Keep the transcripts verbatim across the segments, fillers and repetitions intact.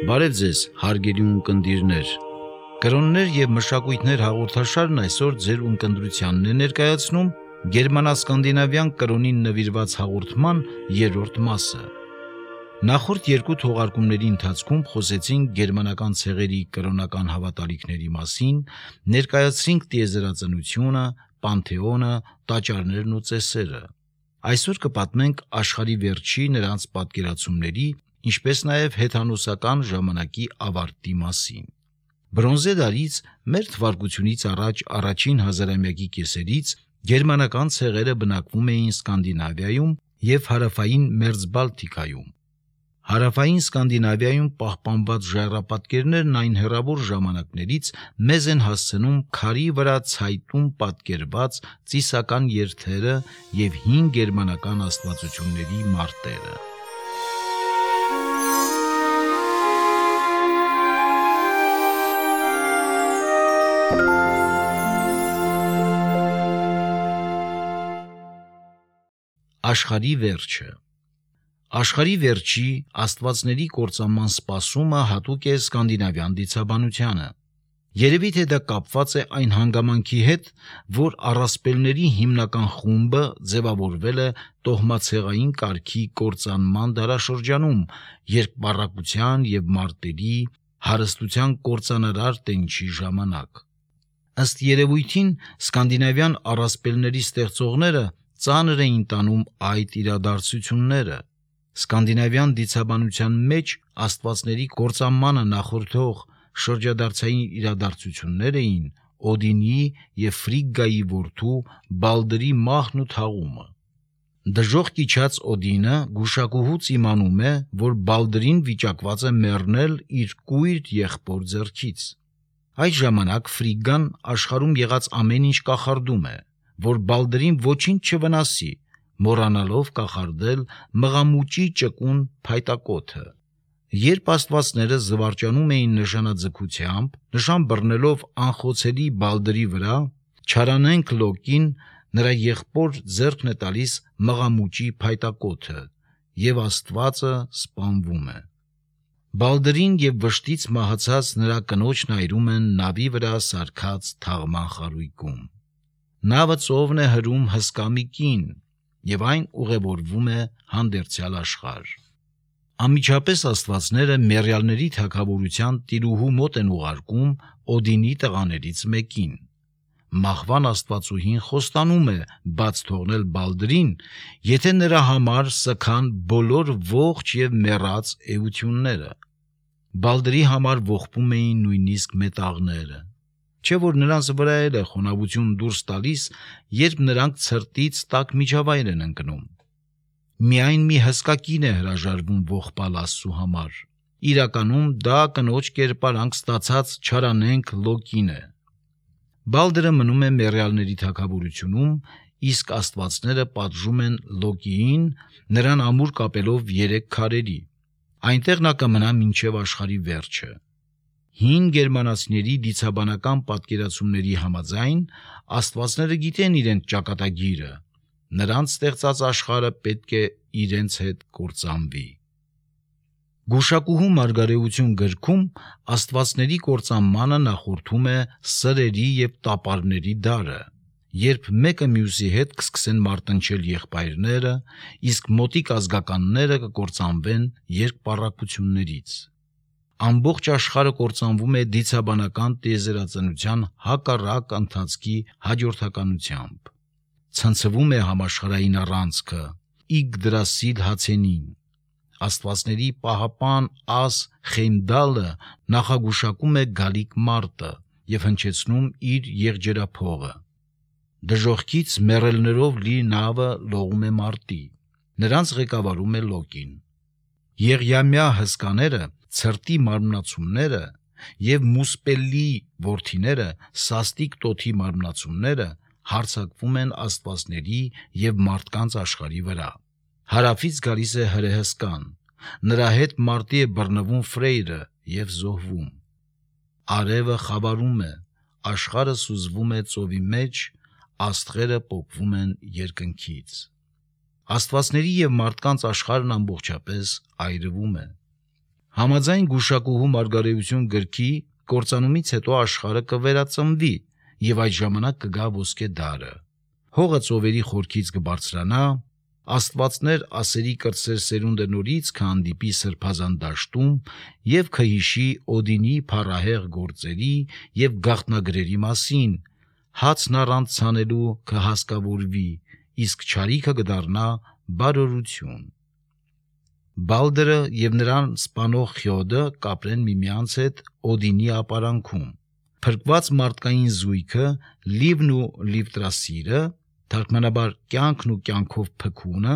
Բարև ձեզ, հարգելի ունկնդիրներ։ Կրոններ և մշակույթներ հաղորդաշարն այսօր ձեր ունկնդրությանն է ներկայացնում գերմանա-սկանդինավյան կրոնին նվիրված հաղորդման երրորդ մասը։ Նախորդ երկու թողարկումների ընթացքում խոսեցինք գերմանական ցեղերի կրոնական հավատալիքների մասին, ներկայացրինք տիեզերածնությունը, պանթեոնը, տաճարներն ու ծեսերը։ Այսօր կպատմենք աշխարհի վերջի նրանց պատկերացումների, ինչպես նաև հեթանոսական ժամանակի ավարտի մասին։ Բրոնզե դարից մեր թվարկությունից առաջ առաջին հազարամյակի կեսերից գերմանական ցեղերը բնակվում էին Սկանդինավիայում և հարավային Մերձբալթիկայում։ Հարավային Սկանդինավիայում պահպանված ժայռապատկերներն այն հեռավոր ժամանակներից մեզ են հասցնում քարի վրա ցայտուն պատկերված ծիսական երթերը և հին գերմանական աստվածությունների մարտերը։ Աշխարհի վերջը։ Աշխարհի վերջի աստվածների կործանման սպասումը հատուկ է սկանդինավյան դիցաբանությանը։ Երևի թե դա կապված է այն հանգամանքի հետ, որ առասպելների հիմնական խումբը ձևավորվել է տոհմացեղային կարգի կործանման դարաշրջանում, երբ պառակտության և մարտերի, հարստության կործանարար տենչի ժամանակ։ Ըստ երևույթին, սկանդինավյան առասպելների ստեղծողները ծանր էին տանում այդ իրադարձությունները։ Սկանդինավյան դիցաբանության մեջ աստվածների կործանմանը նախորդող շրջադարձային իրադարձություններ էին Օդինի և Ֆրիգգայի որդու Բալդրի մահն ու թաղումը։ Դժոխք իջած Օդինը գուշակուհուց իմանում է, որ Բալդրին վիճակված է մեռնել իր կույր եղբոր ձեռքից։ Այդ ժամանակ Ֆրիգգան աշխարհում եղած ամեն ինչ կախարդում է, որ Բալդրին ոչինչ չվնասի, մոռանալով կախարդել մղամուճի ճկուն փայտակոթը։ Երբ աստվածները զվարճանում էին նշանաձգությամբ, նշան բռնելով անխոցելի Բալդրի վրա, չարանենգ Լոկին նրա եղբոր ձեռքն է տալիս մղամուճի փայտակոթը, և աստվածը սպանվում է։ Բալդրին և վշտից մահացած նրա կնոջն այրում են նավի վրա սարքած թաղման խարույկում։ Նավը ծովն է հրում հսկա մի կին, և այն ուղևորվում է հանդերձյալ աշխարհ։ Անմիջապես աստվածները մեռյալների թագավորության տիրուհու մոտ են ուղարկում Օդինի տղաներից մեկին։ Մահվան աստվածուհին խոստանում է բաց թողնել Բալդրին, եթե նրա համար սգան բոլոր ողջ և մեռած էությունները։ Բալդրի համար ողբում էին նույնիսկ մետաղները, չէ՞ որ նրանց վրա էլ է խոնավություն դուրս տալիս, երբ նրանք ցրտից տաք միջավայր են ընկնում։ Միայն մի հսկա կին է հրաժարվում ողբալ Աստծու համար։ Իրականում դա կնոջ կերպարանք ստացած չարանենգ Լոկին է։ Բալդրը մնում է մեռյալների թագավորությունում, իսկ աստվածները պատժում են Լոկիին, նրան ամուր կապելով երեք քարերի։ Այնտեղ նա կմնա մինչև աշխարհի վերջը։ Հին գերմանացիների դիցաբանական պատկերացումների համաձայն, աստվածները գիտեն իրենց ճակատագիրը, նրանց ստեղծած աշխարհը պետք է իրենց հետ կործանվի։ Գուշակուհու մարգարեություն գրքում աստվածների կործանմանը նախորդում է սրերի և տապարների դարը, երբ մեկը մյուսի հետ կսկսեն մարտնչել եղբայրները, իսկ մոտիկ ազգականները կկործանվեն երկպառակտություններից։ Ամբողջ աշխարհը կործանվում է դիցաբանական տիեզերածնության հակառակ ընթացքի հաջորդականությամբ։ Ցնցվում է համաշխարհային առանցքը, Իգդրասիլ հացենին։ Աստվածների պահապան Աս Խեյմդալը նախագուշակում է գալիք մարտը և հնչեցնում իր եղջերափողը։ Դժոխքից մեռելներով լի նավը լողում է մարտի։ Նրանց ղեկավարում է Լոկին։ Եղյամյա հսկաները, ցրտի մարմնացումները և Մուսպելլի որդիները, սաստիկ տոթի մարմնացումները հարձակվում են աստվածների և մարդկանց աշխարհի վրա։ Հարավից գալիս է հրեհսկան, նրա հետ մարտի է բռնվում Ֆրեյրը և զոհվում։ Արևը խավարում է, աշխարհը սուզվում է ծովի մեջ, աստղերը պոկվում են երկնքից։ Աստվածների և մարդկանց աշխարհն ամբողջապես այրվում է։ Համաձայն գուշակուհու Մարգարեություն գրքի կործանումից հետո աշխարհը կվերածնվի եւ այդ ժամանակ կգա ոսկե դարը։ Հողը ծովերի խորքից կբարձրանա, աստվածներ ասերի կրտսեր սերունդը նորից կհանդիպի սրբազան դաշտում եւ կհիշի Օդինի փառահեղ գործերի եւ գաղտնագրերի մասին, հացն առանց ցանելու կհասկավորվի, իսկ չարիքը կդառնա բարօրություն։ Բալդրը եւ նրան սպանող Խյոդը կապրեն միմյանց հետ Օդինի ապարանքում։ Փրկված մարդկային զույգը Լիվն ու Լիվտրասիրը, թարգմանաբար կյանքն ու կյանքով փքունը,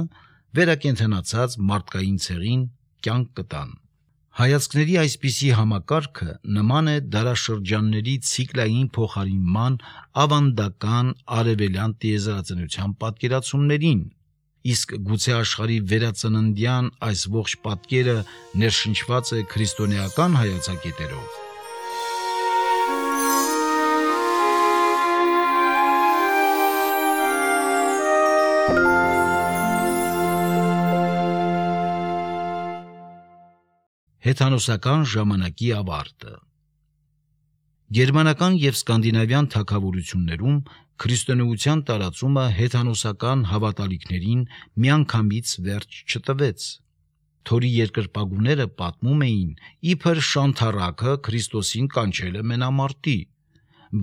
վերակենդանացած մարդկային ցեղին կյանք կտան։ Հայացքների այսպիսի համակարգը նման է դարաշրջանների ցիկլային փոխարինման ավանդական արևելյան տիեզերածնության պատկերացումներին, իսկ գուցե աշխարհի վերածննդյան այս ողջ պատկերը ներշնչված է քրիստոնեական հայացակետերով։ Հեթանոսական ժամանակի ավարտը։ Գերմանական եւ սկանդինավյան թագավորություններում քրիստոնեության տարածումը հեթանոսական հավատալիքներին միանգամից վերջ չտվեց։ Թորի երկրպագուները պատմում էին, իբր Շանթարակը Քրիստոսին կանչել է մենամարտի,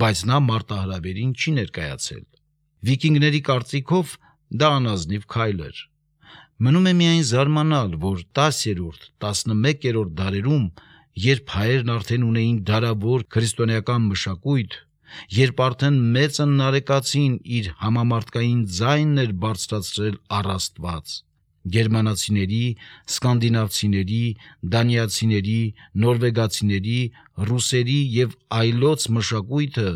բայց նա մարտահրավերին չի ներկայացել։ Վիկինգների կարծիքով դա անազնիվ քայլ էր։ Մնում է միայն զարմանալ, որ տասերորդ, տասնմեկերորդ դարերում, երբ հայերն արդեն ունեին դարավոր քրիստոնեական մշակույթ, երբ արդեն մեծն նարեկացին իր համամարտկային ձայնն էր բարձրացրել առ Աստված, գերմանացիների, սկանդինավցիների, դանիացիների, նորվեգացիների, ռուսերի եւ այլոց մշակույթը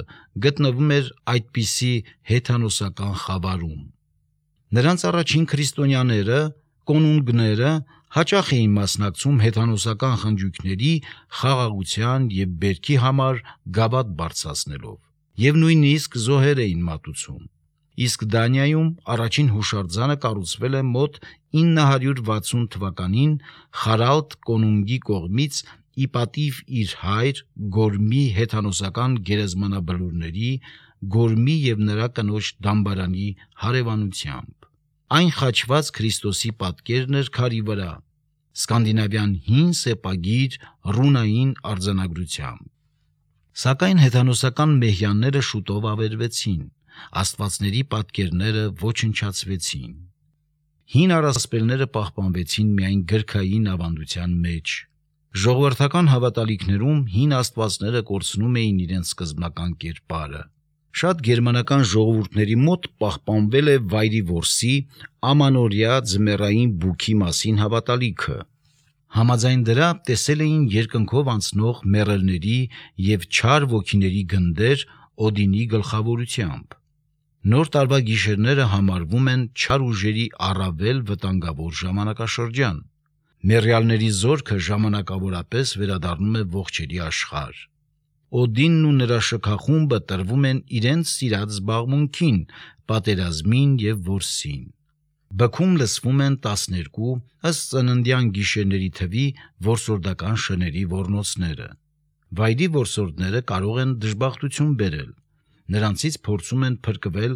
գտնվում էր այդպիսի հեթանոսական խավարում։ Նրանց առաջին քրիստոնյաները, կոնունգները հաճախ էին մասնակցում հեթանոսական խնջույքների, խաղաղության եւ բերքի համար գավաթ բարձրացնելով, եւ նույնիսկ զոհեր էին մատուցում։ Իսկ Դանիայում առաջին հուշարձանը կառուցվել է մոտ ինը հարյուր վաթսուն թվականին Խարալդ կոնունգի կողմից ի պատիվ իր հայր Գորմի հեթանոսական գերեզմանաբլուրների, Գորմի եւ նրա կնոջ դամբարանի հարևանությամբ։ Այն խաչված Քրիստոսի պատկերն էր քարի վրա, սկանդինավյան հին սեպագիր ռունային արձանագրությամբ։ Սակայն հեթանոսական մեհյանները շուտով ավերվեցին, աստվածների պատկերները ոչնչացվեցին։ Հին առասպելները պահպանվեցին միայն գրքային ավանդության մեջ։ Ժողովրդական հավատալիքներում հին աստվածները կորցնում էին իրենց սկզբնական կերպարը։ Շատ գերմանական ժողովուրդների մոտ պահպանվել է վայրի որսի, ամանորյա ձմեռային բուքի մասին հավատալիքը։ Համաձայն դրա տեսել էին երկնքով անցնող մեռելների եւ չար ոգիների գնդեր Օդինի գլխավորությամբ։ Նոր տարվա գիշերները համարվում են չար ուժերի առավել վտանգավոր ժամանակաշրջան։ Մեռյալների զորքը ժամանակավորապես վերադառնում է ողջերի աշխարհ։ Օդինն ու նրա շքախումբը տրվում են իրենց սիրած զբաղմունքին, պատերազմին եւ որսին։ Բքում լսվում են տասներկու ըստ ծննդյան գիշերների թվի որսորդական շների ոռնոցները։ Վայրի որսորդները կարող են դժբախտություն բերել։ Նրանցից փորձում են փրկվել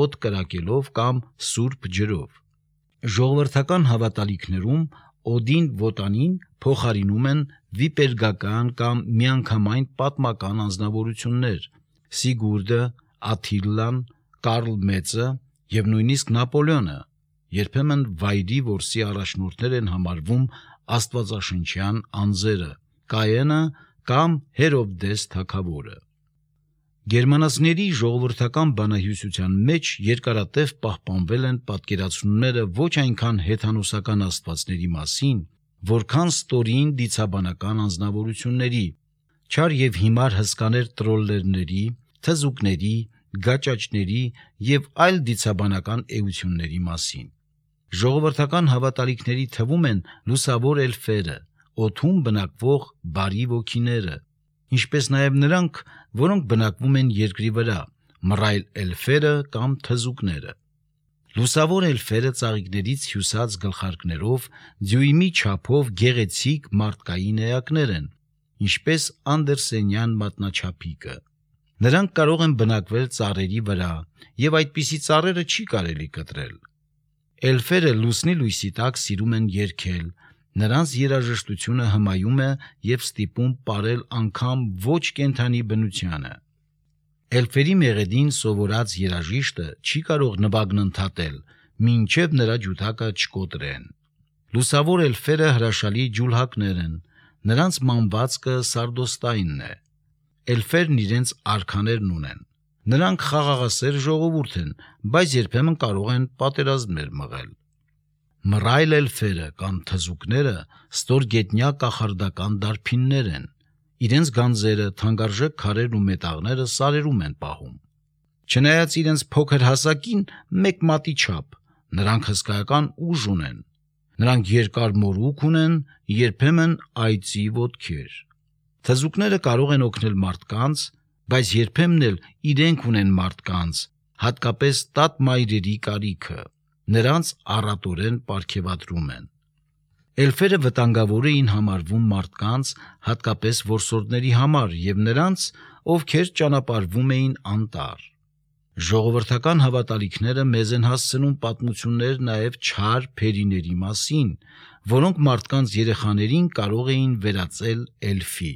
օդ կրակելով կամ սուրբ ջրով։ Ժողովրդական հավատալիքներում Օդին Վոտանին փոխարինում են վիպերգական կամ միանգամայն պատմական անձնավորություններ՝ Սիգուրդը, Աթիլլան, Կարլ Մեծը եւ նույնիսկ Նապոլեոնը։ Երբեմն վայրի որսի առաջնորդներ են համարվում աստվածաշնչյան անձերը՝ Կայենը կամ Հերովդես թագավորը։ Գերմանացիների ժողովրդական բանահյուսության մեջ երկարատև պահպանվել են պատկերացումները ոչ այնքան հեթանոսական աստվածների մասին, որքան ստորին դիցաբանական անձնավորությունների, չար եւ հիմար հսկաներ տրոլլերների, թզուկների, գաճաճների եւ այլ դիցաբանական էությունների մասին։ Ժողովրդական հավատալիքների թվում են լուսավոր էլֆերը, օդում բնակվող բարի ոգիները, ինչպես նաև նրանք, որոնք բնակվում են երկրի վրա, մռայլ էլֆերը կամ թզուկները։ Լուսավոր էլֆերը ծաղիկներից հյուսած գլխարկներով դյույմի չափով գեղեցիկ մարդկային էակներ են, ինչպես անդերսենյան մատնաչափիկը։ Նրանք կարող են բնակվել ծառերի վրա, եւ այդպիսի ծառերը չի կարելի կտրել։ Էլֆերը լուսնի լույսի տակ սիրում են երգել, նրանց երաժշտությունը հմայում է եւ ստիպում ապրել անգամ ոչ կենդանի բնությանը։ Էլֆերի մեղեդին սովորած երաժիշտը չի կարող նվագն ընդհատել, մինչև նրա ջութակը չկոտրեն։ Լուսավոր էլֆերը հրաշալի ջուլհակներ են, նրանց մանվածքը սարդոստայինն է։ Էլֆերն իրենց արքաներն ունեն։ Նրանք խաղաղասեր ժողովուրդ են, բայց երբեմն կարող են պատերազմներ մղել։ Մռայլ էլֆերը կամ թզուկները ստորգետնյա կախարդական դարբիններ են։ Իրենց գանձերը, թանկարժեք քարերն ու մետաղները սարերում են պահում։ Չնայած իրենց փոքր հասակին մեկ մատի չափ, նրանք հսկայական ուժ ունեն։ Նրանք երկար մորուք ունեն, երբեմն այծի ոտքեր։ Թզուկները կարող են օգնել մարդկանց, բայց երբեմն էլ իրենք ունեն մարդկանց, հատկապես տատ մայրերի կարիքը։ Նրանց առատորեն պարգևատրում են։ Էլֆերը վտանգավոր էին համարվում մարդկանց, հատկապես որսորդների համար եւ նրանց, ովքեր ճանապարհվում էին անտառ։ Ժողովրդական հավատալիքները մեզ են հասցնում պատմություններ նաեւ չար փերիների մասին, որոնք մարդկանց երեխաներին կարող էին վերածել էլֆի։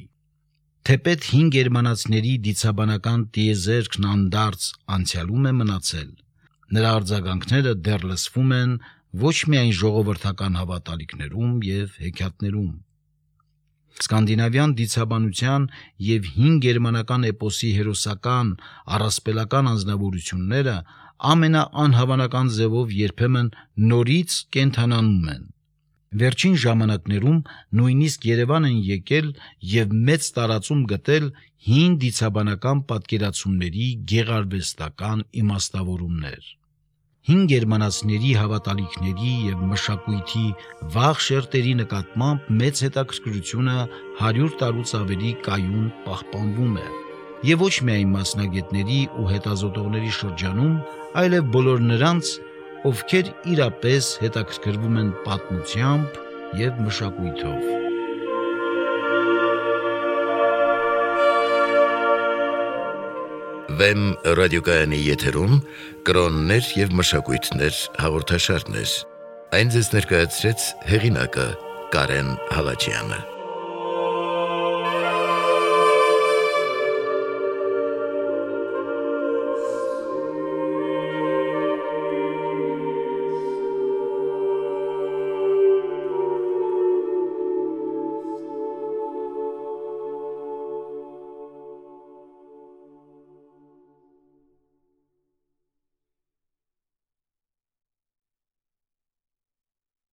Թեպետ հին գերմանացիների դիցաբանական տիեզերքն անդարձ անցյալում է մնացել, նրա արձագանքները դեռ լսվում են ոչ միայն ժողովրդական հավատալիքներում եւ հեքիաթներում։ Սկանդինավյան դիցաբանության եւ հին գերմանական էպոսի հերոսական առասպելական անձնավորությունները ամենաանհավանական ձևով երբեմն նորից կենթանանում են։ Վերջին ժամանակներում նույնիսկ Երևան են եկել եւ մեծ տարածում գտել հին դիցաբանական պատկերացումների գեղարվեստական իմաստավորումներ։ Հին գերմանացիների հավատալիքների եւ մշակույթի վաղ շերտերի նկատմամբ մեծ հետաքրքրությունը հարյուր տարուց ավելի կայուն պահպանվում է եւ ոչ միայն մասնագետների ու հետազոտողների շրջանում, այլև բոլոր նրանց, ովքեր իրապես հետաքրքրվում են պատմությամբ եւ մշակույթով։ Վեմ ռադիոկայանի եթերում կրոններ եւ մշակույթներ հաղորդաշարներ։ Այն ձեզ ներկայացրեց հեղինակը Կարեն Հալաջյանը։